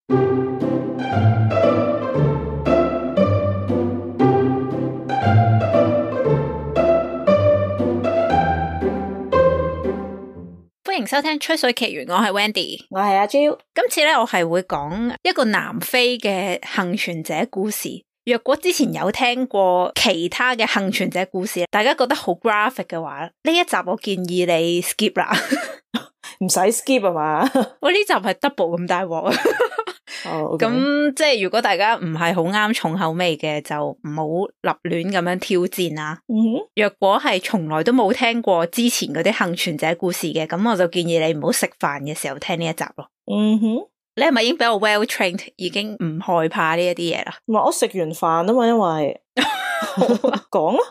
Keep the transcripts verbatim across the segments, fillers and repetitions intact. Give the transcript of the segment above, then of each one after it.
歡迎收聽吹水奇緣，我係 Wendy， 我係阿 Jo。今次咧我係會講一個南非嘅幸存者故事。若果之前有聽過其他嘅幸存者故事，大家覺得好 graphic 嘅話，呢一集我建議你 skip 啦。唔使 skip 啊嘛？我呢集係 double 咁大鑊啊！哦，咁即係如果大家唔係好啱重口味嘅，就唔好立亂咁樣挑戰啦。嗯哼，若果係從來都冇聽過之前嗰啲幸存者故事嘅，咁我就建議你唔好食飯嘅時候聽呢一集咯。嗯哼，你係咪已經比較 well trained， 已經唔害怕呢一啲嘢啦？唔係，我食完飯啊嘛，因為講啊。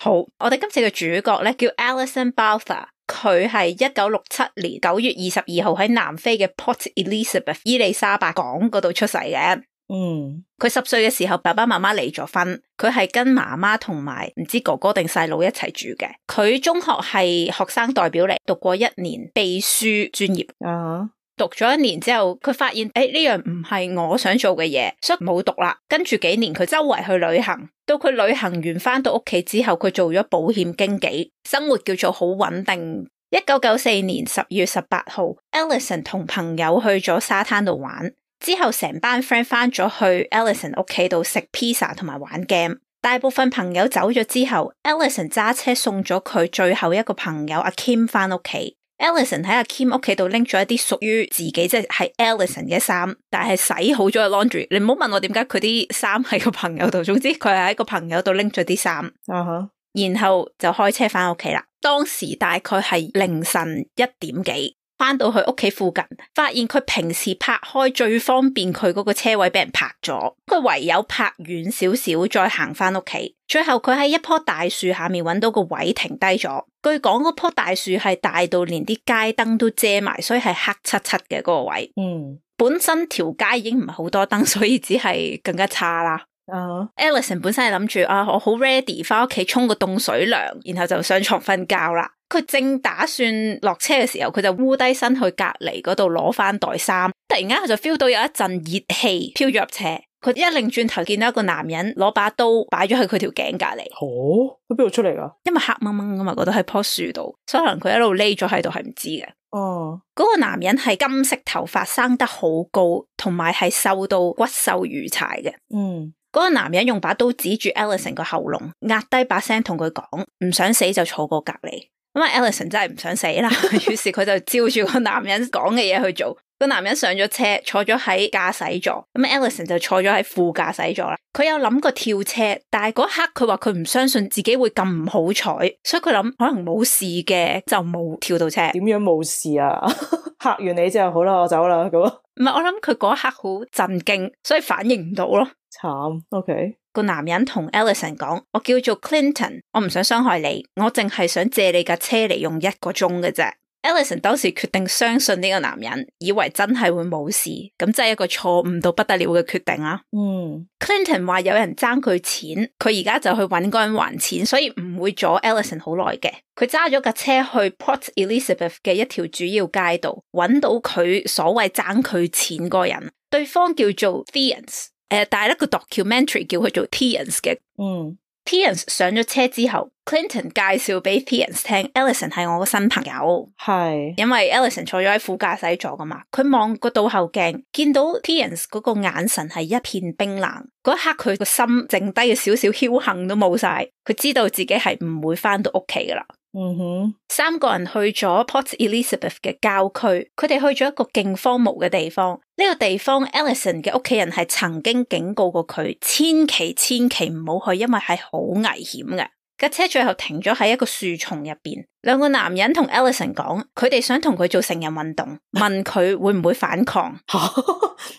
好，我哋今次嘅主角咧叫 Alison Balther。佢係一九六七年九月二十二號喺南非嘅 Port Elizabeth 伊麗莎白港嗰度出世嘅。嗯，佢十歲嘅時候，爸爸媽媽離咗婚，佢係跟媽媽同埋唔知哥哥定細佬一齊住嘅。佢中學係學生代表嚟，讀過一年秘書專業。啊、uh-huh. 讀咗一年之後，佢發現誒呢樣唔係我想做嘅嘢，所以冇讀啦。跟住幾年佢周圍去旅行，到佢旅行完翻到屋企之後，佢做咗保險經紀，生活叫做好穩定。一九九四年十月十八號 Alison 同朋友去咗沙灘度玩，之後成班 friend 翻咗去 Alison 屋企度食 pizza 同埋玩 game。大部分朋友走咗之後， Alison 揸車送咗佢最後一個朋友阿 Kim 翻屋企。Alison 喺阿 Kim 屋企度拎咗一啲屬於自己，即係 Alison 嘅衫，但係洗好咗嘅 laundry。你唔好問我點解佢啲衫喺個朋友度，總之佢係喺個朋友度拎咗啲衫， uh-huh. 然後就開車翻屋企啦。當時大概係凌晨一點幾，翻到去屋企附近，發現佢平時泊開最方便佢嗰個車位俾人泊咗，佢唯有泊遠少少再行翻屋企。最後佢喺一棵大樹下面揾到個位停低咗。據講嗰棵大樹係大到連啲街燈都遮埋，所以係黑漆漆嘅嗰個位。嗯，本身條街已經唔係好多燈，所以只係更加差啦。Uh-huh. Alison 本身係諗住啊，我好 ready 翻屋企沖個凍水涼，然後就上床瞓覺啦。佢正打算落車嘅時候，佢就烏低身去隔離嗰度攞翻袋衫。突然間佢就 feel 到有一陣熱氣飄咗入車。佢一擰轉頭見到一個男人攞把刀擺咗喺佢條頸隔離。哦，佢邊度出嚟噶？因為黑掹掹噶嘛，覺得喺棵樹度，所以可能佢一路匿咗喺度係唔知嘅。哦，嗰個男人係金色頭髮，生得好高，同埋係瘦到骨瘦如柴嘅。嗯。嗰個男人用把刀指住 Alison 個喉嚨，壓低把聲同佢講，唔想死就坐過隔離。咁啊 Alison 真係唔想死啦，於是佢就照住個男人講嘅嘢去做。個男人上咗車，坐咗喺駕駛座，咁 Alison 就坐咗喺副駕駛座啦。佢有諗過跳車，但係嗰刻佢話佢唔相信自己會咁唔好彩，所以佢諗可能冇事嘅，就冇跳到車。點樣冇事啊？嚇完你之後好啦，我走啦咁。唔係，我諗佢嗰一刻好震驚，所以反應唔到咯。慘 ，OK。個男人同 Alison 講：我叫做 Clinton， 我唔想傷害你，我淨係想借你架車嚟用一個鐘嘅啫。Alison 當時決定相信呢個男人，以為真係會冇事，咁真係一個錯誤到不得了嘅決定啦。嗯 ，Clinton 話有人爭佢錢，佢而家就去搵嗰人還錢，所以唔會阻 Alison 好耐嘅。佢揸咗架車去 Port Elizabeth 嘅一條主要街道，搵到佢所謂爭佢錢嗰個人，對方叫做 Theans。誒，但係咧個 documentary 叫佢做 Theans 嘅。嗯 Theans 上咗車之後 ，Clinton 介紹俾 Theans 聽 ，Alison 係我個新朋友。係，因為 Alison 坐咗喺副駕駛座噶嘛，佢望個倒後鏡，見到 Theans 嗰個眼神係一片冰冷。嗰一刻佢個心剩低嘅少少僥倖都冇晒，佢知道自己係唔會翻到屋企噶啦。嗯哼，三個人去咗 Port Elizabeth 嘅郊區，佢哋去咗一個勁荒蕪嘅地方。呢、這個地方 Alison 嘅屋企人係曾經警告過佢，千祈千祈唔好去，因為係好危險嘅。架車最後停咗喺一個樹叢入邊，兩個男人同 Alison 講，佢哋想同佢做成人運動，問佢會唔會反抗。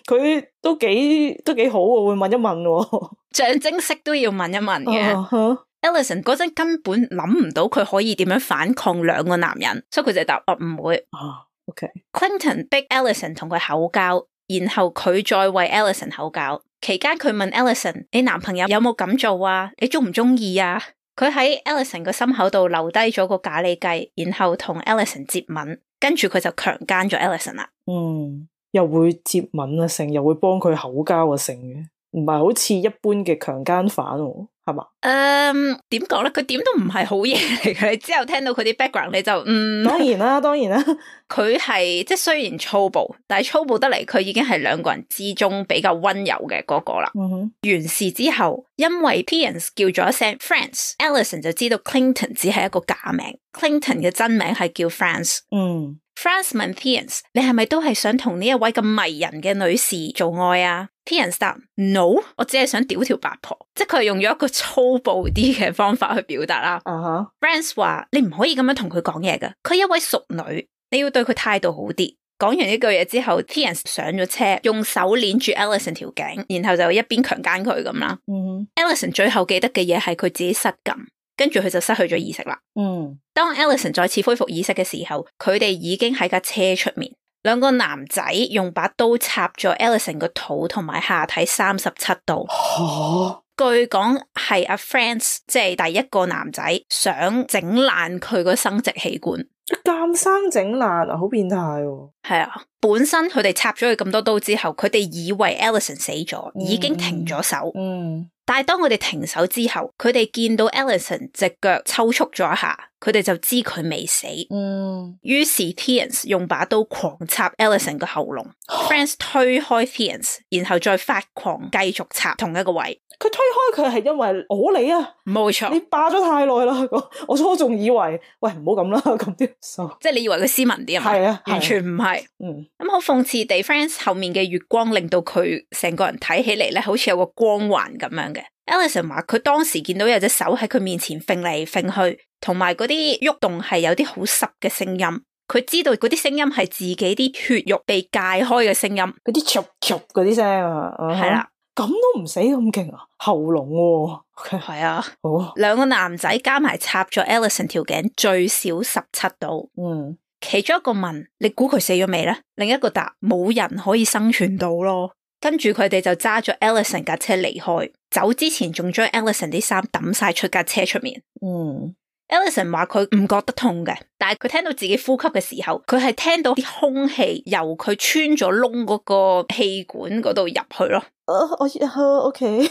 佢都幾都幾好喎，會問一問喎，象徵式都要問一問嘅。Uh-huh. Alison 嗰陣根本諗唔到佢可以點樣反抗兩個男人，所以佢就答我唔會。啊、uh-huh. OK。Clinton 逼 Alison 同佢口交，然後佢再為 Alison 口交。期間佢問 Alison：你男朋友有冇咁做啊？你中唔中意啊？佢喺 Alison 個心口度留低咗個咖喱雞，然後同 Alison 接吻，跟住佢就強姦咗 Alison 啦。嗯。又會接吻啊成，又會幫佢口交啊成嘅，唔係好似一般嘅強姦犯喎，係嘛？誒，點講咧？佢點都唔係好嘢嚟嘅。你之後聽到佢啲 background，你就嗯，當然啦，當然啦。佢係即係雖然粗暴，但係粗暴得嚟，佢已經係兩個人之中比較溫柔嘅嗰個啦。嗯哼。完事之後，因為 Pierce 叫咗一聲 France，Allison 就知道 Clinton 只係一個假名 ，Clinton 嘅真名係叫 France。嗯。France 問 Pierce， 你係咪都係想同呢一位咁迷人嘅女士做愛啊？ Pierce 答 No， 我只係想屌條八婆，即係佢係用咗一個粗暴啲嘅方法去表達啦。啊哈。France 話你唔可以咁樣同佢講嘢噶，佢一位淑女，你要對佢態度好啲。講完呢句嘢之後 Pierce 上咗車，用手鏈住 Allison 條頸，然後就一邊強姦佢咁啦。嗯哼。Allison 最後記得嘅嘢係佢自己失禁。跟住佢就失去咗意識啦。嗯，當 Allison 再次恢復意識嘅時候，佢哋已經喺架車出面，兩個男仔用把刀插咗 Allison 個肚同埋下體三十七刀。哦，據講係阿 France 即係第一個男仔想整爛佢個生殖器官，監生整爛啊，好變態喎。係啊，本身佢哋插咗佢咁多刀之後，佢哋以為 Allison 死咗，已經停咗手。嗯。但係當佢哋停手之後，佢哋見到 Allison 隻腳抽搐咗一下，佢哋就知佢未死。嗯。於是 Pierce 用把刀狂插 Allison 個喉嚨，France 推開 Pierce， 然後再發狂繼續插同一個位。佢推開佢係因為我你啊，冇錯，你霸咗太耐啦。我初仲以為，喂唔好咁啦，咁啲數，即係你以為佢斯文啲啊嘛？係啊，完全唔係。嗯，咁好諷刺地 ，France 後面嘅月光令到佢成個人睇起嚟咧，好似有個光環咁樣嘅。Allison 話佢當時見到有隻手喺佢面前揈嚟揈去，同埋嗰啲喐動係有啲好濕嘅聲音。佢知道嗰啲聲音係自己啲血肉被解開嘅聲音，嗰啲嘈嘈嗰啲聲啊，係啦，咁都唔死咁勁啊，喉嚨喎，係啊，好，兩個男仔加埋插咗 Allison 條頸最少十七刀，嗯，其中一個問你估佢死咗未咧？另一個答冇人可以生存到咯。跟住佢哋就揸咗 Allison 架車離開，走之前仲將 Allison 啲衫抌晒出架車出面。嗯 Allison 話佢唔覺得痛嘅，但係佢聽到自己呼吸嘅時候，佢係聽到啲空氣由佢穿咗窿嗰個氣管嗰度入去咯。Uh, 我我 OK，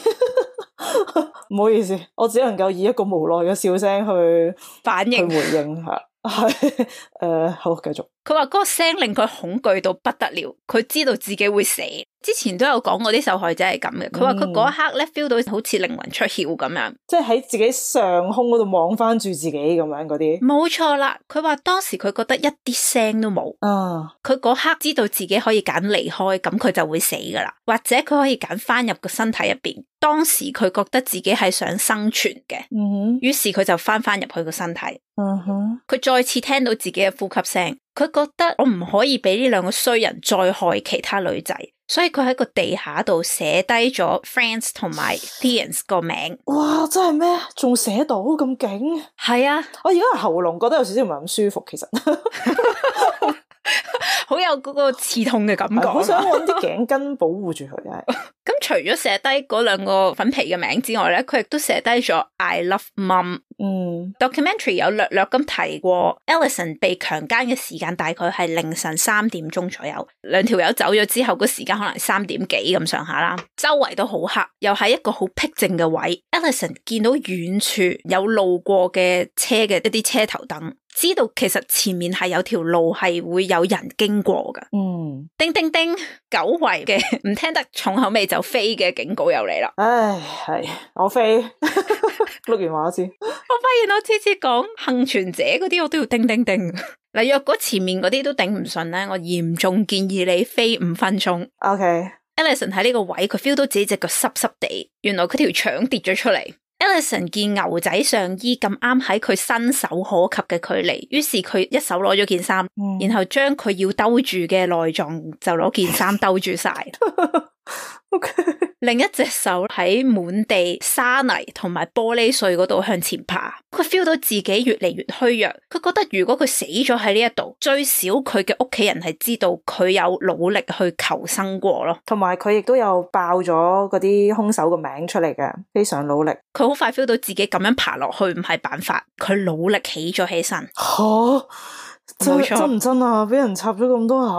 唔好意思，我只能夠以一個無奈嘅笑聲去反應去回應下。係誒、呃，好繼續。佢話嗰個聲令佢恐懼到不得了，佢知道自己會死。之前都有講過啲受害者係咁嘅，佢話佢嗰一刻咧 feel 到好似靈魂出竅咁樣，即係喺自己上空嗰度望翻住自己咁樣嗰啲。冇錯啦，佢話當時佢覺得一啲聲都冇。啊，佢嗰刻知道自己可以揀離開，咁佢就會死噶啦，或者佢可以揀翻入個身體入邊。當時佢覺得自己係想生存嘅，嗯哼，於是佢就翻翻入去個身體。嗯哼，佢再次聽到自己嘅呼吸聲，佢覺得我唔可以俾呢兩個衰人再害其他女仔，所以佢喺個地下度寫低咗 France 同埋 Pierce 個名。哇，真係咩？仲寫到咁勁？係啊，我而家喉嚨覺得有少少唔係咁舒服，其實。好有嗰個刺痛嘅感覺，好想揾啲頸巾保護住佢。咁除咗寫低嗰兩個粉皮嘅名之外咧，佢亦都寫低咗 I love mom。嗯 ，documentary 有略略咁提過 Allison 被強姦嘅時間大概係凌晨三點鐘左右，兩條友走咗之後，個時間可能三點幾咁上下啦。周圍都好黑，又係一個好僻靜嘅位。Allison 見到遠處有路過嘅車嘅一啲車頭燈，知道其實前面係有條路係會有人經過噶。嗯，叮叮叮，久違嘅唔聽得重口味就飛嘅警告又嚟啦。唉，係我飛錄完話我知。我發現我次次講幸存者嗰啲我都要叮叮叮。嗱，若果前面嗰啲都頂唔順咧，我嚴重建議你飛五分鐘。OK。Allison 喺呢個位，佢 feel 到自己隻腳濕濕地，原來佢條腸跌咗出嚟。Allison 見牛仔上衣咁啱喺佢伸手可及嘅距離，於是佢一手攞咗件衫，嗯、然後將佢要兜住嘅內臟就攞件衫兜住晒。Okay. 另一隻手喺滿地沙泥同埋玻璃碎嗰度向前爬，佢 feel 到自己越嚟越虛弱，佢覺得如果佢死咗喺呢一度，最少佢嘅屋企人係知道佢有努力去求生過咯，同埋佢亦都有爆咗嗰啲兇手個名出嚟嘅，非常努力。佢好快 feel 到自己咁樣爬落去唔係辦法，佢努力起咗起身。吓、哦，真冇錯真唔真啊？俾人插咗咁多下，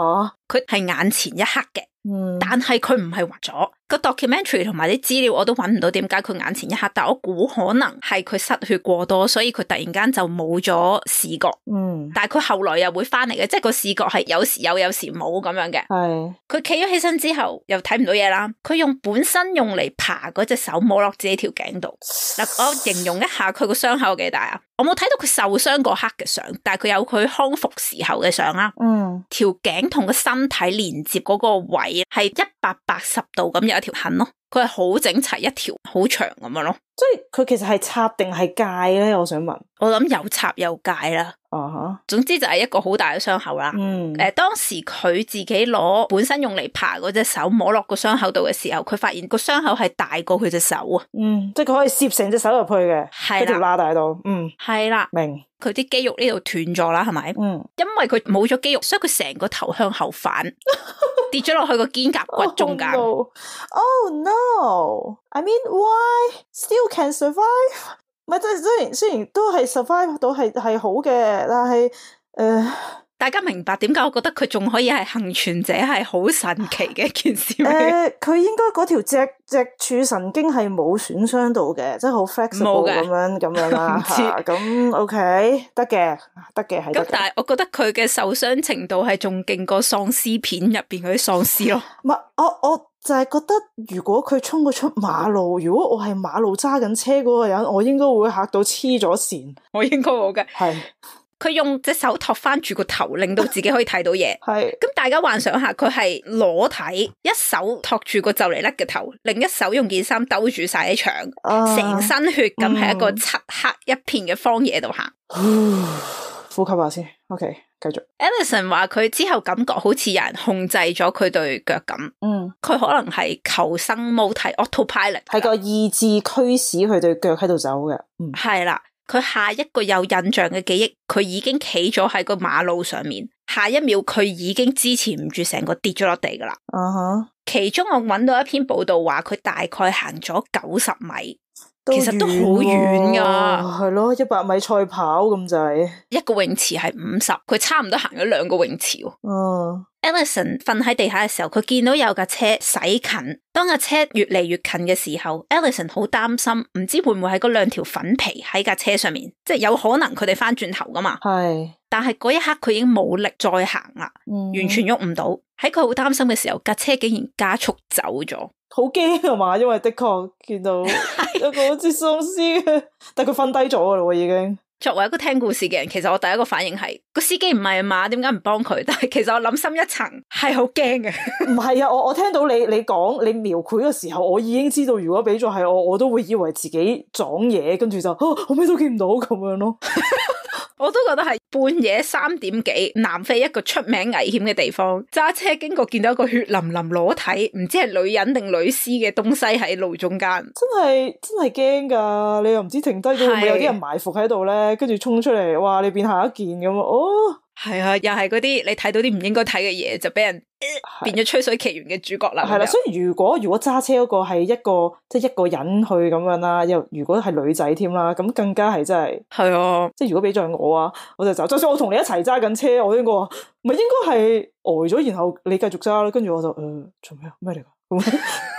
佢係眼前一刻嘅。嗯，但係佢唔係畫咗個 documentary 同埋啲資料，我都揾唔到點解佢眼前一刻，但我估可能係佢失血過多，所以佢突然間就冇咗視覺。嗯，但係佢後來又會翻嚟嘅，即係個視覺係有時有，有時冇咁樣嘅。係佢企咗起身之後又睇唔到嘢啦，佢用本身用嚟爬嗰隻手摸落自己條頸度。嗱，我形容一下佢個傷口有幾大啊？我冇睇到佢受傷嗰刻嘅相，但係佢有佢康復時候嘅相啦。嗯，條頸同個身體連接嗰個位係一百八十度咁有一條痕咯，佢係好整齊一條好長咁樣咯。即係佢其實係插定係戒咧？我想問。我諗有插有戒啦。啊哈，總之就係一個好大嘅傷口啦。嗯，誒、呃，當時佢自己攞本身用嚟爬嗰隻手摸落個傷口度嘅時候，佢發現個傷口係大過佢隻手啊。嗯，即係佢可以攝成隻手入去嘅，係喺條啦，罅大度。嗯，係啦，明。佢啲肌肉呢度斷咗啦，係咪？嗯，因為佢冇咗肌肉，所以佢成個頭向後反，跌咗落去個肩胛骨中間。Oh no! Oh no! I mean, why still can survive? 唔係，即係雖然雖然都係 survive 到係係好嘅，但係誒，呃大家明白點解我覺得佢仲可以係幸存者係好神奇嘅一件事咩？誒、呃，佢應該嗰條脊脊柱神經係冇損傷到嘅，即係好 flexible 咁樣咁樣啦嚇。咁 OK 得嘅，得嘅係。咁但係我覺得佢嘅受傷程度係仲勁過喪屍片入邊嗰啲喪屍咯。唔係，我我就係覺得，如果佢衝過出馬路，如果我係馬路揸緊車嗰個人，我應該會嚇到黐咗線。我應該冇嘅。係。佢用隻手托翻住個頭，令到自己可以睇到嘢。係，咁大家幻想下，佢係裸體，一手托住個就嚟甩嘅頭，另一手用件衫兜住晒啲牆，成、uh, 身血咁喺一個漆黑一片嘅荒野度行。嗯、呼吸下先 ，OK，繼續。Ellison 話佢之後感覺好似有人控制咗佢對腳咁。嗯，佢可能係求生模體 autopilot，係個意志驅使佢對腳喺度走嘅。嗯，係啦。佢下一個有印象嘅記憶，佢已經企咗喺個馬路上面，下一秒佢已經支持唔住，成個跌咗落地噶啦。啊哈、uh！ huh. 其中我揾到一篇報道話，佢大概行咗九十米，其實都好遠噶。係咯，一百米賽跑咁滯。一個泳池係五十，佢差唔多行咗兩個泳池。嗯。Uh. Ellison 瞓喺地下嘅時候，佢見到有架車駛近，當架車越嚟越近嘅時候 Ellison 好擔心，唔知會唔會係嗰兩條粉皮喺架車上面，即係有可能佢哋翻轉頭噶嘛。係，但係嗰一刻佢已經冇力再行啦，嗯、完全喐唔到。喺佢好擔心嘅時候，架車竟然加速走咗，好驚啊嘛！因為的確見到一個好似喪屍嘅，但係佢瞓低咗噶啦，已經。作為一個聽故事嘅人，其實我第一個反應係個司機唔係啊嘛，點解唔幫佢？但係其實我諗深一層係好驚嘅。唔係啊，我我聽到你你講你描繪嘅時候，我已經知道如果俾咗係我，我都會以為自己撞嘢，跟住就、啊、我咩都見唔到咁樣咯。我都覺得係半夜三點幾，南非一個出名危險嘅地方，揸車經過見到一個血淋淋裸體，唔知係女人定女屍嘅東西喺路中間，真係真係驚噶！你又唔知停低咗會唔會有啲人埋伏喺度咧，跟住衝出嚟，哇！你變下一件咁啊！哦，係啊，又係嗰啲你睇到啲唔應該睇嘅嘢，就俾人、呃、變咗吹水奇緣嘅主角啦。係啦，所以如果如果揸車嗰個係一個即係一個人去咁樣啦，又如果係女仔添啦，咁更加係真係係啊！即係如果俾咗我啊，我就走。就算我同你一齊揸緊車，我應該話唔係應該係呆咗，然後你繼續揸啦，跟住我就誒做咩啊？咩嚟噶？咁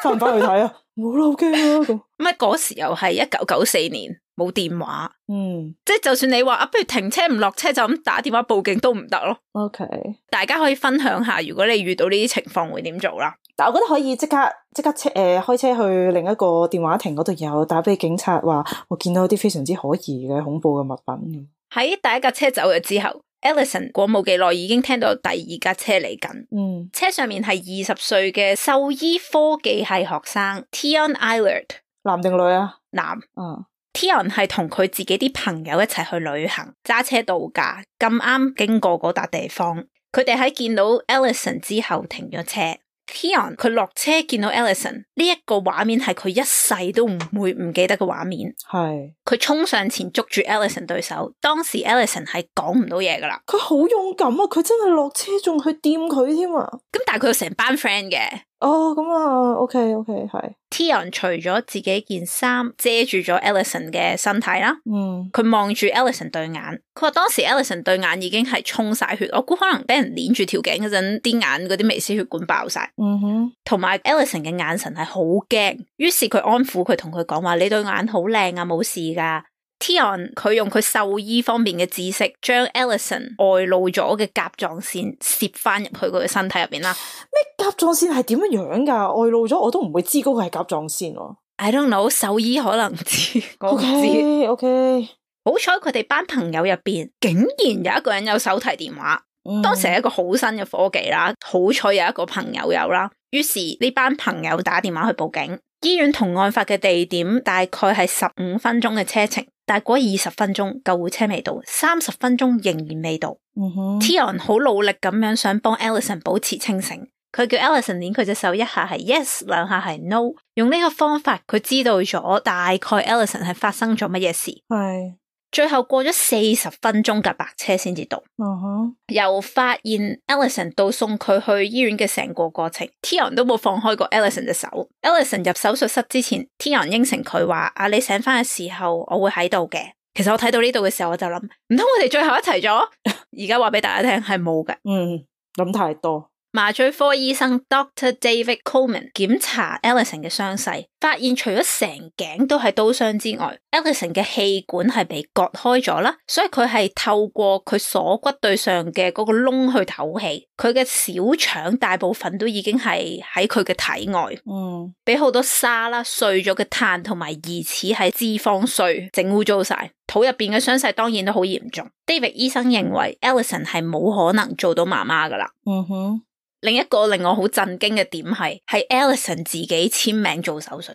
翻唔翻去睇啊？冇啦，好驚啊！咁乜嗰時又係一九九四年，冇電話，嗯，即係就算你話啊，不如停車唔落車就咁打電話報警都唔得咯。OK，大家可以分享下，如果你遇到呢啲情況會點做啦？但我覺得可以即刻即刻車誒、呃、開車去另一個電話亭嗰度，有打俾警察話我見到啲非常之可疑嘅恐怖嘅物品。喺第一架車走咗之後，Ellison 過冇幾耐已經聽到第二架車嚟緊。嗯，車上面係二十歲嘅獸醫科技系學生 Tion Eilert， 男定女啊？男。嗯。Tion 係同佢自己啲朋友一齊去旅行，揸車度假，咁啱經過嗰笪地方，佢哋喺見到 Ellison 之後停咗車。Tion 佢落車見到 Ellison 呢一個畫面係佢一世都唔會唔記得嘅畫面。係佢衝上前捉住 Ellison 對手，當時 Ellison 係講唔到嘢噶啦。佢好勇敢啊！佢真係落車仲去掂佢添啊！咁但係佢有成班 friend 嘅。哦，咁啊 ，OK OK 係。Tion 除咗自己件衫遮住咗 Ellison 嘅身體啦，嗯，佢望住 Ellison 對眼，佢話當時 Ellison 對眼已經係沖晒血，我估可能俾人鏈住條頸嗰陣，啲眼嗰啲微絲血管爆晒。嗯哼，同埋 Ellison 嘅眼神係好驚，於是佢安撫佢，同佢講話：你對眼好靚啊，冇事噶。Tion 佢用佢獸醫方面嘅知識，將 Ellison 外露咗嘅甲狀腺攝翻入去佢嘅身體入邊啦。咩甲狀腺係點樣樣噶？外露咗我都唔會知嗰個係甲狀腺喎。I don't know， 獸醫可能知，我唔知。OK OK，好彩佢哋班朋友入邊竟然有一個人有手提電話，嗯、當時係一個好新嘅科技啦。好彩有一個朋友有啦，於是呢班朋友打電話去報警。醫院同案發嘅地點大概係十五分鐘嘅車程，但係嗰二十分鐘救護車未到，三十分鐘仍然未到。嗯哼 Tion 好努力咁樣想幫 Ellison 保持清醒，佢叫 Ellison 捏佢隻手，一下係 yes， 兩下係 no。用呢個方法，佢知道咗大概 Ellison 係發生咗乜嘢事。係。最後過咗四十分鐘架白車先至到，嗯哼，由發現 Ellison 到送佢去醫院嘅成個過程 ，Tion 都冇放開過 Ellison 隻手。Ellison 入手術室之前 ，Tion 應承佢話：啊，你醒翻嘅時候，我會喺度嘅。其實我睇到呢度嘅時候，我就諗，唔通我哋最後一齊咗？而家話俾大家聽係冇嘅。嗯，諗太多。麻醉科醫生 Doctor David Coleman 檢查 Ellison 嘅傷勢，發現除咗成頸都係刀傷之外 ，Ellison 嘅氣管係被割開咗啦，所以佢係透過佢鎖骨對上嘅嗰個窿去唞氣。佢嘅小腸大部分都已經係喺佢嘅體外，嗯，俾好多沙啦、碎咗嘅碳同埋疑似係脂肪碎整污糟晒。肚入邊嘅傷勢當然都好嚴重。David 醫生認為 Ellison 係冇可能做到媽媽噶啦。嗯哼。另一個令我好震驚嘅點係，係 Ellison 自己簽名做手術，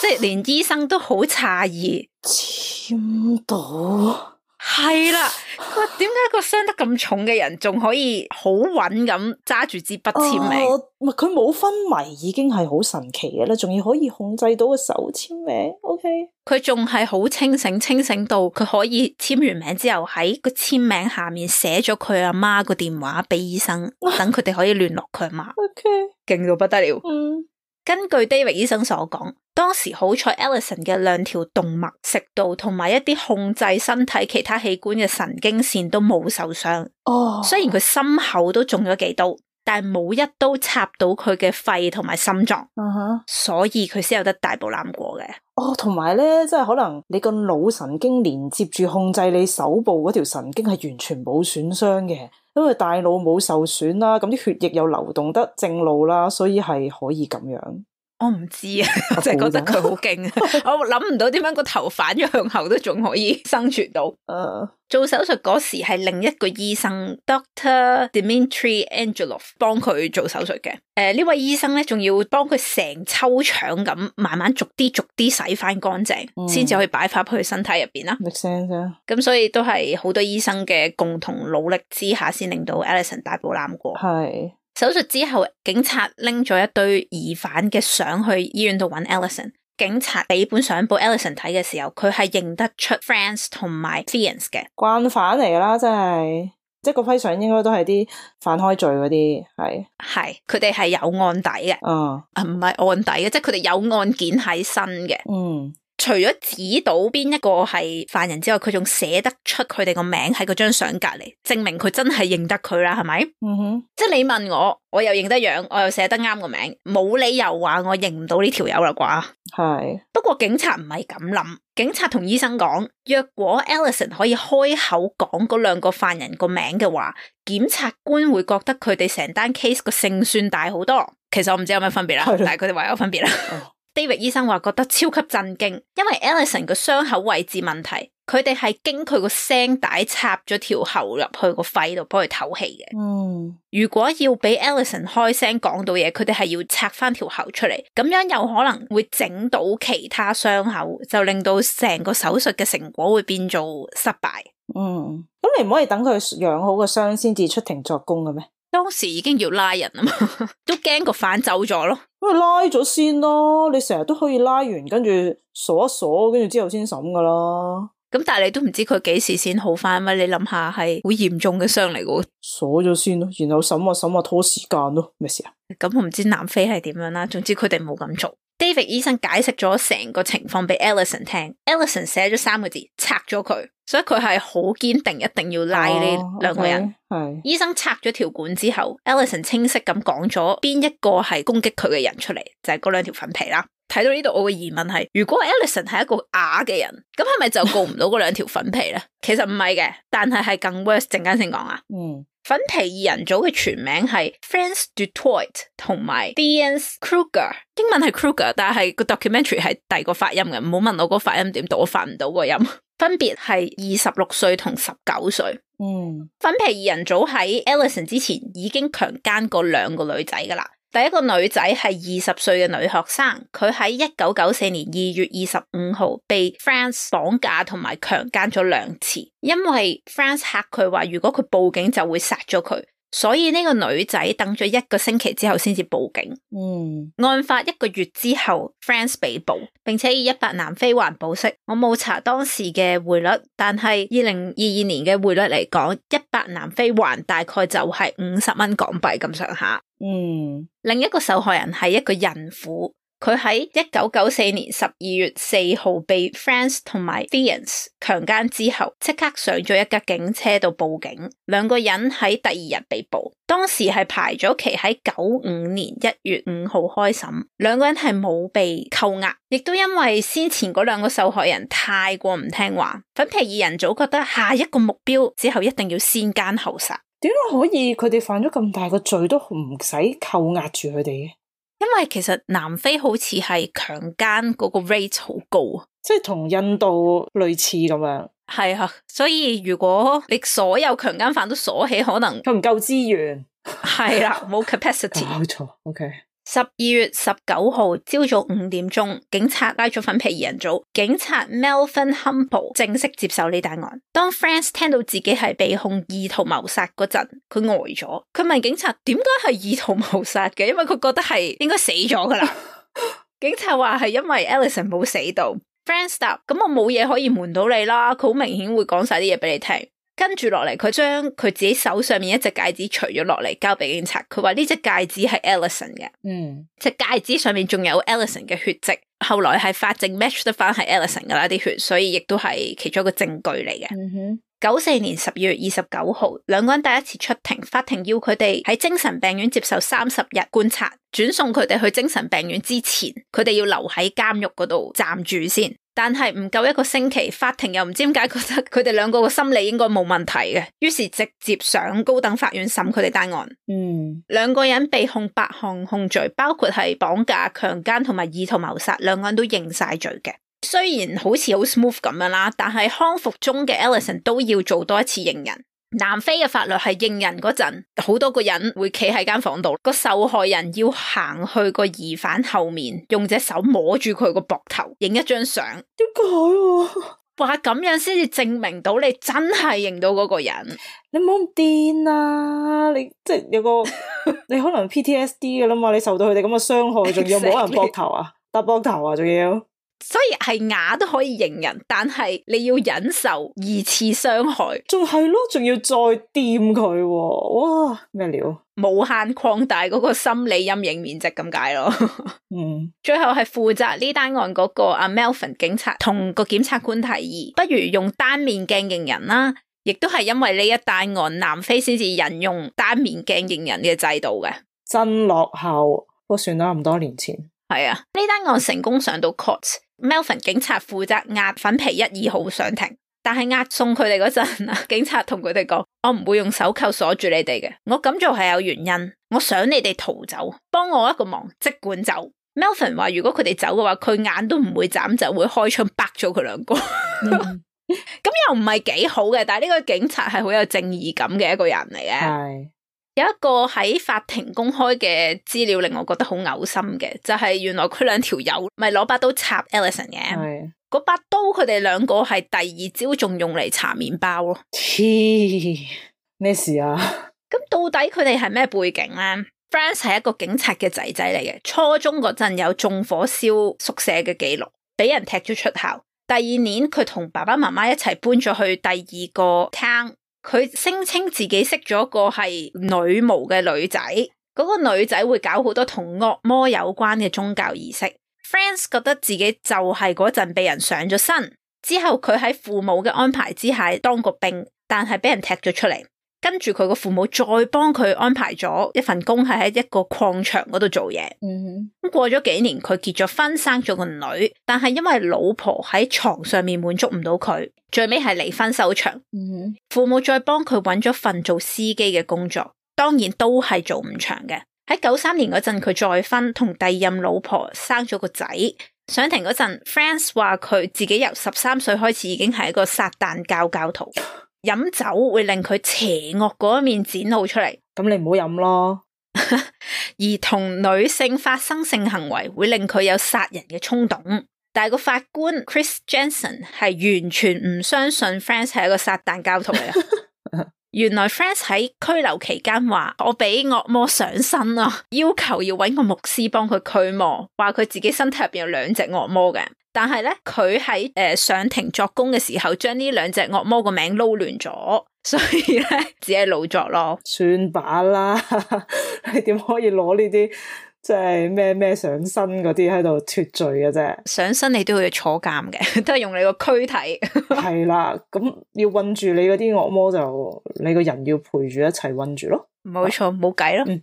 即係連醫生都好詫異，簽到。係啦，佢話點解個傷得咁重嘅人仲可以好穩咁揸住支筆簽名？唔係佢冇昏迷已經係好神奇嘅啦，仲要可以控制到個手簽名。OK，佢仲係好清醒，清醒到佢可以簽完名之後喺個簽名下面寫咗佢阿媽個電話俾醫生，等佢哋可以聯絡佢阿媽。OK，勁到不得了。嗯。根據 David 醫生所講，當時好彩 Ellison 嘅兩條動脈、食道同埋一啲控制身體其他器官嘅神經線都冇受傷。哦，oh. 雖然佢心口都中咗幾刀，但係冇一刀插到佢嘅肺同埋心臟。嗯哼，uh-huh. 所以佢先有得大步攬過嘅。哦，同埋咧，即係可能你個腦神經連接住控制你手部嗰條神經係完全冇損傷嘅。因為大腦冇受損啦，咁啲血液又流動得正路啦，所以係可以咁樣。我唔知啊，我就係覺得佢好勁啊！我諗唔到點解個頭反咗向後都仲可以生存到。Uh. 做手術嗰時係另一個醫生 Doctor Dmitry Angelov 幫佢做手術嘅。誒、呃，呢位醫生咧仲要幫佢成抽腸咁慢慢逐啲逐啲洗翻乾淨，先至、嗯、可以擺翻去身體入邊啦。make sense 啊！咁所以都係好多醫生嘅共同努力之下，先令到 Ellison 大步攬過。係。手術之後，警察拎咗一堆疑犯嘅相去醫院度揾 Ellison。警察俾本相簿 Ellison 睇嘅時候，佢係認得出 Franz 同埋 Fiennes 嘅慣犯嚟噶啦，真係即係個批相應該都係啲犯開罪嗰啲，係係佢哋係有案底嘅，嗯啊唔係案底嘅，即係佢哋有案件喺身嘅，嗯。除咗指到邊一個係犯人之外，佢仲寫得出佢哋個名喺嗰張相隔籬，證明佢真係認得佢啦，係咪？嗯哼，即係你問我，我又認得樣，我又寫得啱個名，冇理由話我認唔到呢條友啦啩？係。不過警察唔係咁諗，警察同醫生講，若果 Ellison 可以開口講嗰兩個犯人個名嘅話，檢察官會覺得佢哋成單 case 個勝算大好多。其實我唔知有咩分別啦，的但係佢哋話有分別啦。哦David 醫生話覺得超級震驚，因為 Ellison 個傷口位置問題，佢哋係經佢個聲帶插咗條喉入去個肺度幫佢唞氣嘅。嗯，如果要俾 Ellison 開聲講到嘢，佢哋係要拆翻條喉出嚟，咁樣有可能會整到其他傷口，就令到成個手術嘅成果會變做失敗。嗯，咁你唔可以等佢養好個傷先至出庭作供嘅咩？當時已經要拉人啊嘛，都驚個犯走咗咯。咁咪拉咗先咯，你成日都可以拉完，跟住鎖一鎖，跟住之後先審噶啦。咁但係你都唔知佢幾時先好翻咩？你諗下係好嚴重嘅傷嚟噶。鎖咗先咯，然後審啊審啊拖時間咯，咩事啊？咁我唔知南非係點樣啦，總之佢哋冇咁做。David 醫生解釋咗成個情況俾 Ellison 聽 ，Ellison 寫咗三個字，拆咗佢，所以佢係好堅定，一定要拉呢兩個人。係、oh, okay. 醫生拆咗條管之後 ，Ellison 清晰咁講咗邊一個係攻擊佢嘅人出嚟，就係嗰兩條粉皮啦。睇到呢度，我嘅疑問係：如果 Ellison 係一個啞嘅人，咁係咪就告唔到嗰兩條粉皮咧？其實唔係嘅，但係係更 worse。陣間先講啊。嗯。粉皮二人組嘅全名係 Franz du Toit 同埋 Theuns Kruger， 英文係 Kruger， 但係個 documentary 係第二個發音嘅，唔好問我個發音點讀，我發唔到個音。分別係二十六歲同十九歲。嗯，粉皮二人組喺 Ellison 之前已經強姦過兩個女仔噶啦。第一個女仔係二十歲嘅女學生，佢喺一九九四年二月二十五號被 Franz 綁架同埋強姦咗兩次，因為 Franz 嚇佢話如果佢報警就會殺咗佢，所以呢個女仔等咗一個星期之後先至報警。嗯，案發一個月之後 Franz 被捕，並且以一百南非環保釋，我冇查當時嘅匯率，但係二零二二年嘅匯率嚟講，一百南非環大概就係五十蚊港幣咁上下。嗯，另一個受害人係一個孕婦，佢喺一九九四年十二月四號被 Franz 同埋 Theuns 強姦之後，即刻上咗一架警車度報警。兩個人喺第二日被捕，當時係排咗期喺九五年一月五號開審，兩個人係冇被扣押，亦都因為先前嗰兩個受害人太過唔聽話，粉皮二人組覺得下一個目標之後一定要先姦後殺。點解可以佢哋犯咗咁大個罪都唔使扣押住佢哋嘅？因為其實南非好似係強姦嗰個 rate 好高啊，即係同印度類似咁樣。係啊，所以如果你所有強姦犯都鎖起，可能佢唔夠資源。係啦，冇 capacity。冇錯 ，OK。十二月十九號朝早五點鐘，警察拉咗粉皮二人組，警察 Melvin Humble 正式接手呢單案。當 Franz 聽到自己係被控意圖謀殺嗰陣，佢呆咗。佢問警察點解係意圖謀殺嘅，因為佢覺得係應該死咗噶啦。警察話係因為 Ellison 冇死到。Franz 答：咁我冇嘢可以瞞到你啦，佢好明顯會講晒啲嘢俾你聽。跟住落嚟，佢將佢自己手上面一隻戒指除咗落嚟，交俾警察。佢話呢隻戒指係 Ellison 嘅，嗯，隻戒指上面仲有 Ellison 嘅血跡。後來係法證 match 得翻係 Ellison 噶啦啲血，所以亦都係其中一個證據嚟嘅。九四、嗯、年十二月二十九號，兩個人第一次出庭，法庭要佢哋喺精神病院接受三十日觀察，轉送佢哋去精神病院之前，佢哋要留喺監獄嗰度暫住先。但係唔夠一個星期，法庭又唔知點解覺得佢哋兩個嘅心理應該冇問題嘅，於是直接上高等法院審佢哋單案。嗯，兩個人被控八項控罪，包括係綁架、強姦同埋意圖謀殺，兩個人都認晒罪嘅。雖然好似好 smooth 咁樣啦，但係康復中嘅 Ellison 都要做多一次認人。南非嘅法律係認人嗰陣，好多個人會企喺間房度，個受害人要行去個疑犯後面，用隻手摸住佢個膊頭，影一張相。點解啊？話咁樣先至證明到你真係認到嗰個人。你唔好咁癲啊！你即係有個你可能 P T S D 噶啦嘛，你受到佢哋咁嘅傷害，仲要摸人膊頭啊，搭膊頭啊，仲要。所以係啞都可以認人，但係你要忍受二次傷害，仲係咯，仲要再掂佢，哇咩料？無限擴大嗰個心理陰影面積咁解咯。嗯，最後係負責呢單案嗰個阿 Melvin 警察同個檢察官提議，不如用單面鏡認人啦。亦都係因為呢一單案，南非先至引用單面鏡認人嘅制度嘅。真落後，不過算啦，咁多年前。係啊，呢單案成功上到 court。Melvin 警察負責押粉皮一二號上庭，但係押送佢哋嗰陣啊，警察同佢哋講：我唔會用手扣鎖住你哋嘅，我咁做係有原因，我想你哋逃走，幫我一個忙，即管走。Melvin 話如果佢哋走嘅話，佢眼都唔會眨，就會開槍斃咗佢兩個。咁、嗯、又唔係幾好嘅，但係呢個警察係好有正義感嘅一個人嚟嘅。係。有一個喺法庭公開嘅資料令我覺得好嘔心嘅，就係、是、原來佢兩條友咪攞把刀插 Ellison 嘅，嗰把刀佢哋兩個係第二朝仲用嚟搽麵包咯。黐咩事啊？咁到底佢哋係咩背景咧？Franz 係一個警察嘅仔仔嚟嘅，初中嗰陣有縱火燒宿舍嘅記錄，俾人踢咗出校。第二年佢同爸爸媽媽一齊搬咗去第二個 town。佢聲稱自己識咗個係女巫嘅女仔，嗰、那個女仔會搞好多同惡魔有關嘅宗教儀式。Frances 覺得自己就係嗰陣被人上咗身，之後佢喺父母嘅安排之下當個兵，但係俾人踢咗出嚟。跟住佢個父母再幫佢安排咗一份工，係喺一個礦場嗰度做嘢。嗯，咁過咗幾年，佢結咗婚，生咗個女，但係因為老婆喺床上面滿足唔到佢，最尾係離婚收場。嗯，父母再幫佢揾咗份做司機嘅工作，當然都係做唔長嘅。喺九三年嗰陣，佢再婚，同第二任老婆生咗個仔。上庭嗰陣 Frances 話佢自己由十三歲開始已經係一個撒旦教教徒。飲酒會令佢邪惡嗰一面展露出嚟，咁你唔好飲咯。而同女性發生性行為會令佢有殺人嘅衝動，但係個法官 Chris Jensen 係完全唔相信 Frances 係一個撒旦教徒嚟嘅。原來 Frances 喺拘留期間話我俾惡魔上身啊，要求要搵個牧師幫佢驅魔，話佢自己身體入邊有兩隻惡魔嘅。但係咧，佢喺誒上庭作供嘅時候，將呢兩隻惡魔個名撈亂咗，所以咧只係老作咯。算把啦，你點可以攞呢啲即係咩咩上身嗰啲喺度脫罪嘅啫？上身你都要坐監嘅，都係用你個軀體。係啦，咁要困住你嗰啲惡魔就你個人要陪住一齊困住咯。冇錯，冇計咯。嗯、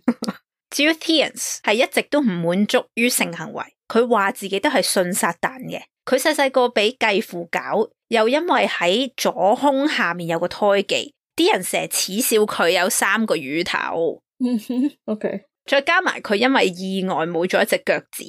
至於 Theians 係一直都唔滿足於性行為。佢話自己都係信撒旦嘅，佢細細個俾繼父搞，又因為喺左胸下面有個胎記，啲人成日恥笑佢有三個乳頭。OK， 再加埋佢因為意外冇咗一隻腳趾，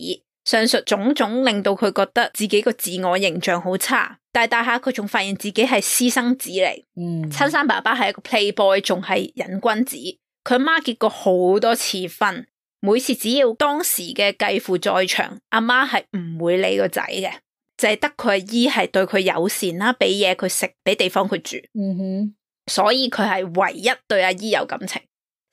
上述種種令到佢覺得自己個自我形象好差。大大下佢仲發現自己係私生子嚟，嗯，親生爸爸係一個 playboy， 仲係癮君子。佢媽結過好多次婚。每次只要當時嘅繼父在場，阿媽係唔會理個仔嘅，就係得佢阿姨係對佢友善啦，俾嘢佢食，俾地方佢住。嗯哼，所以佢係唯一對阿姨有感情。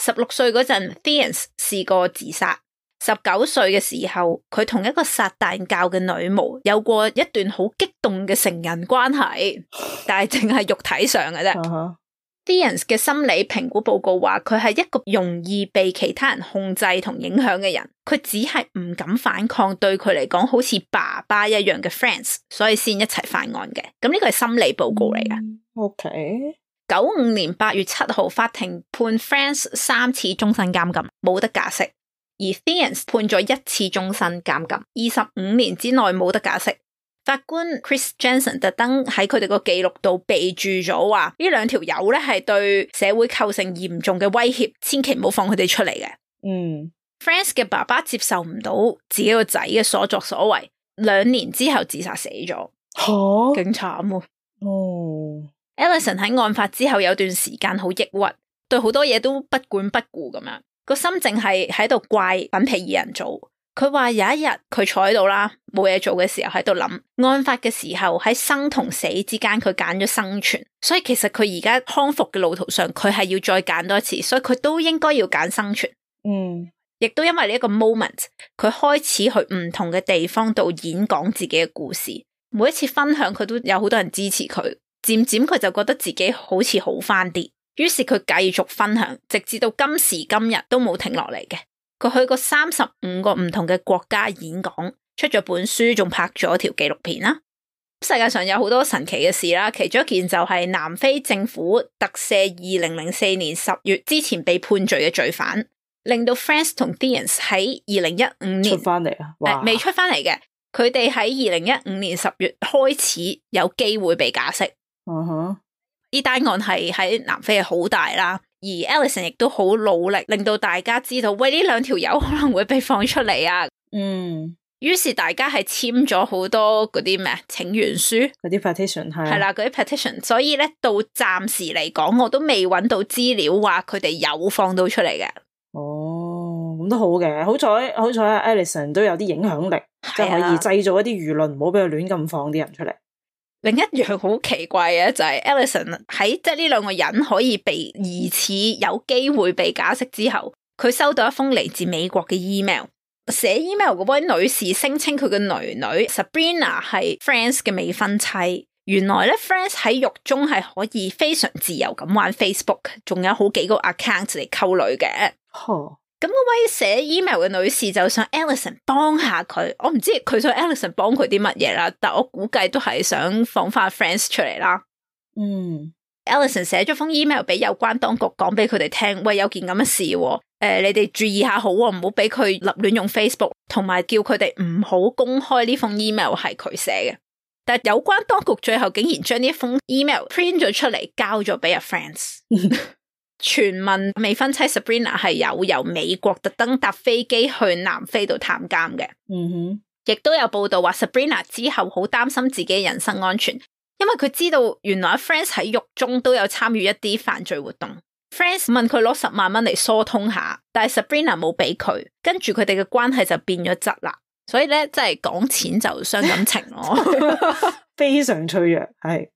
十六歲嗰陣 Theians 試過自殺。十九歲嘅時候，佢同一個撒旦教嘅女巫有過一段好激動嘅成人關係，但係淨係肉體上嘅啫。Uh-huh. Theians 嘅心理評估報告話佢係一個容易被其他人控制同影響嘅人，佢只係唔敢反抗對佢嚟講好似爸爸一樣嘅 Frances， 所以先一齊犯案嘅。咁呢個係心理報告嚟嘅。OK。九五年八月七號，法庭判 Frances 三次終身監禁，冇得假釋；而 Theians 判咗一次終身監禁，二十五年之內冇得假釋。法官 Chris Jensen 特登喺佢哋個記錄度備注咗話，呢兩條友咧係對社會構成嚴重嘅威脅，千祈唔好放佢哋出嚟嘅。嗯 Frances 嘅爸爸接受唔到自己個仔嘅所作所為，兩年之後自殺死咗。吓，勁慘喎！哦 Ellison 喺案發之後有段時間好抑鬱，對好多嘢都不管不顧咁樣，個心淨係喺度怪粉皮二人組。佢話有一日佢坐喺度啦，冇嘢做嘅時候喺度諗，案發嘅時候喺生同死之間佢揀咗生存，所以其實佢而家康復嘅路途上佢係要再揀多一次，所以佢都應該要揀生存。嗯，亦都因為呢一個 moment， 佢開始去唔同嘅地方度演講自己嘅故事，每一次分享佢都有好多人支持佢，漸漸佢就覺得自己好似好返啲，於是佢繼續分享，直至到今時今日都冇停落嚟嘅。佢去過三十五個唔同嘅國家演講，出咗本書，仲拍咗條紀錄片啦。世界上有好多神奇嘅事啦，其中一件就係南非政府特赦二零零四年十月之前被判罪嘅罪犯，令到 Frances 同 Theians 喺二零一五年出翻嚟啊！誒，未出翻嚟嘅，佢哋喺二零一五年十月開始有機會被假釋。嗯哼，呢單案係喺南非係好大啦。而 Ellison 亦都好努力，令到大家知道，喂，呢兩條友可能會被放出嚟啊。嗯，於是大家係簽咗好多嗰啲咩請願書，嗰啲 petition 係係啦，嗰啲 petition。所以咧，到暫時嚟講，我都未揾到資料話佢哋有放到出嚟嘅。哦，咁都好嘅，好彩好彩啊 Ellison 都有啲影響力，即係可以製造一啲輿論，唔好俾佢亂咁放啲人出嚟。另一樣好奇怪嘅就係 Ellison 喺即係呢兩個人可以被疑似有機會被假釋之後，佢收到一封嚟自美國嘅 email， 寫 email 嗰位女士聲稱佢嘅女女 Sabrina 係 Frances 嘅未婚妻。原來咧 Frances 喺獄中係可以非常自由咁玩 Facebook， 仲有好幾個 account 嚟溝女嘅。咁、哦、咁嗰位寫 email 嘅女士就想 Ellison 幫下佢，我唔知佢想 Ellison 幫佢啲乜嘢啦，但我估計都係想放翻 Friends 出嚟啦。嗯 ，Ellison 寫咗封 email 俾有關當局，講俾佢哋聽，喂，有件咁嘅事，誒、呃，你哋注意下好，唔好俾佢立亂用 Facebook， 同埋叫佢哋唔好公開呢封 email 係佢寫嘅。但係有關當局最後竟然將呢一封 email print 咗出嚟，交咗俾阿 Friends。傳聞未婚妻 Sabrina 係有由美國特登搭飛機去南非度探監嘅。嗯哼，亦都有報道話 Sabrina 之後好擔心自己嘅人身安全，因為佢知道原來 Friends 喺獄中都有參與一啲犯罪活動。Friends 問佢攞十萬蚊嚟疏通下，但係 Sabrina 冇俾佢，跟住佢哋嘅關係就變咗質啦。所以咧，真係講錢就傷感情咯，非常脆弱。係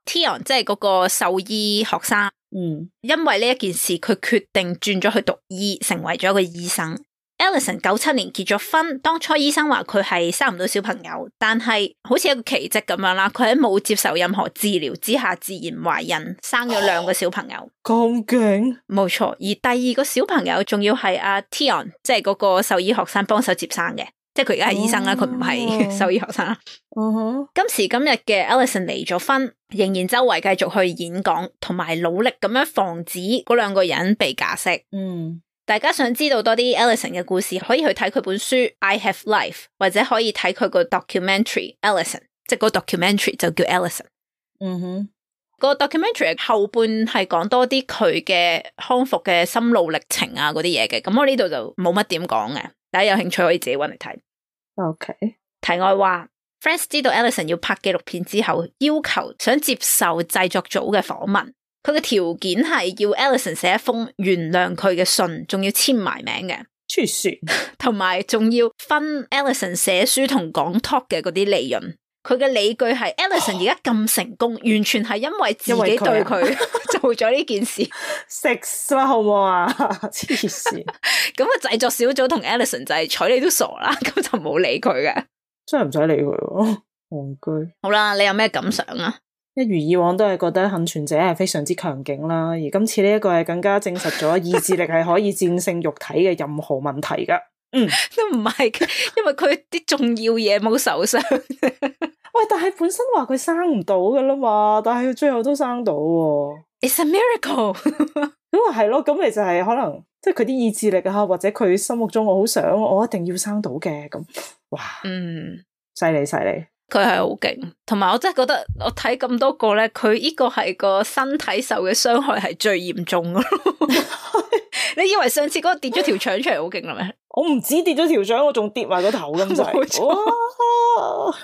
Tion 即係嗰個獸醫學生。嗯，因為呢一件事，佢決定轉咗去讀醫，成為咗一個醫生。Ellison 九七年結咗婚，當初醫生話佢係生唔到小朋友，但係好似一個奇蹟咁樣啦，佢喺冇接受任何治療之下自然懷孕，生咗兩個小朋友。咁勁？冇錯，而第二個小朋友仲要係阿 Tion，即係嗰個獸醫學生幫手接生嘅。即係佢而家係醫生啦，佢唔係獸醫學生啦。Uh huh. 今時今日嘅 Ellison 離咗婚，仍然周圍繼續去演講，同埋努力咁樣防止嗰兩個人被假釋。嗯，大家想知道多啲 Ellison 嘅故事，可以去睇佢本書《I Have Life》，或者可以睇佢個 documentary Ellison， 即係個 documentary 就叫 Ellison。嗯哼，個 documentary 後半係講多啲佢嘅康復嘅心路歷程啊嗰啲嘢嘅，咁我呢度就冇乜點講嘅，大家有興趣可以自己搵嚟睇。OK， 題外話 Friends 知道 Ellison 要拍紀錄片之後，要求想接受製作組嘅訪問，佢嘅條件係要 Ellison 寫一封原諒佢嘅信，仲要簽埋名嘅，黐線，同埋仲要分 Ellison 寫書同講 talk 嘅嗰啲利潤。佢嘅理據係 Ellison 而家咁成功，完全係因為自己對佢做咗呢件事。食啦好唔好啊？黐線！咁啊，製作小組同 Ellison 就係睬你都傻啦，咁就冇理佢嘅。真係唔使理佢喎，戇居。好啦，你有咩感想啊？一如以往都係覺得幸存者係非常之強勁啦，而今次呢一個係更加證實咗意志力係可以戰勝肉體嘅任何問題噶。嗯，都唔係，因為佢啲重要嘢冇受傷。喂，但係本身話佢生唔到噶啦嘛，但係佢最後都生到喎。It's a miracle。咁啊係咯，咁咪就係可能即係佢啲意志力啊，或者佢心目中我好想，我一定要生到嘅咁。哇，嗯，犀利犀利，佢係好勁，同埋我真係覺得我睇咁多個咧，佢呢個係個身體受嘅傷害係最嚴重噶咯。你以為上次嗰個跌咗條腸出嚟好勁啦咩？我唔止跌咗條腸，我仲跌埋個頭咁滯。哇！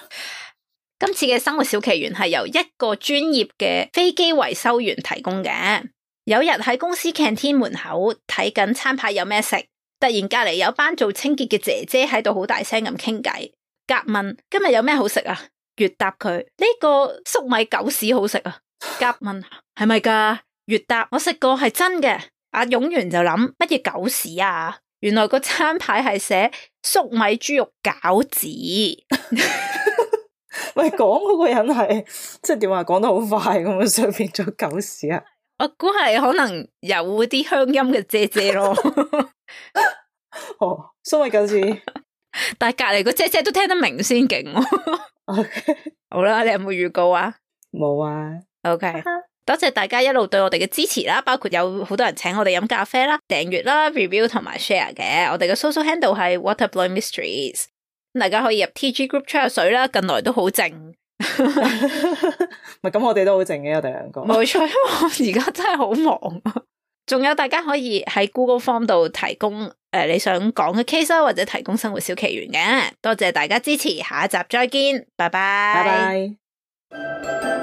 今次嘅生活小奇懸係由一個專業嘅飛機維修員提供嘅。有日喺公司 canteen 門口睇緊餐牌有咩食，突然隔籬有班做清潔嘅姐姐喺度好大聲咁傾偈。甲問今日有咩好食啊？乙答佢呢個粟米狗屎好食啊。甲問係咪噶？乙答我食過係真嘅。阿勇員就諗乜嘢狗屎啊？原來個餐牌係寫粟米豬肉餃子。喂，講嗰個人係即係點話？講得好快咁樣，上變咗狗屎啊！我估係可能有啲鄉音嘅姐姐咯。哦，粟米狗子，但係隔籬個姐姐都聽得明先勁。Okay. 好啦，你有冇預告啊？冇啊。OK。多謝大家一路對我哋嘅支持啦，包括有好多人請我哋飲咖啡啦、訂閱啦、review 同埋 share 嘅。我哋嘅 social handle 係 Waterblowing Mysteries，大家可以入 T G group 吹下水啦。近來都好靜，咪咁我哋都好靜嘅，我哋兩個。冇錯，因為我而家真係好忙。仲有大家可以喺 Google Form 度提供誒、呃、你想講嘅 case 啦，或者提供生活小奇懸嘅。多謝大家支持，下一集再見，拜拜。拜拜。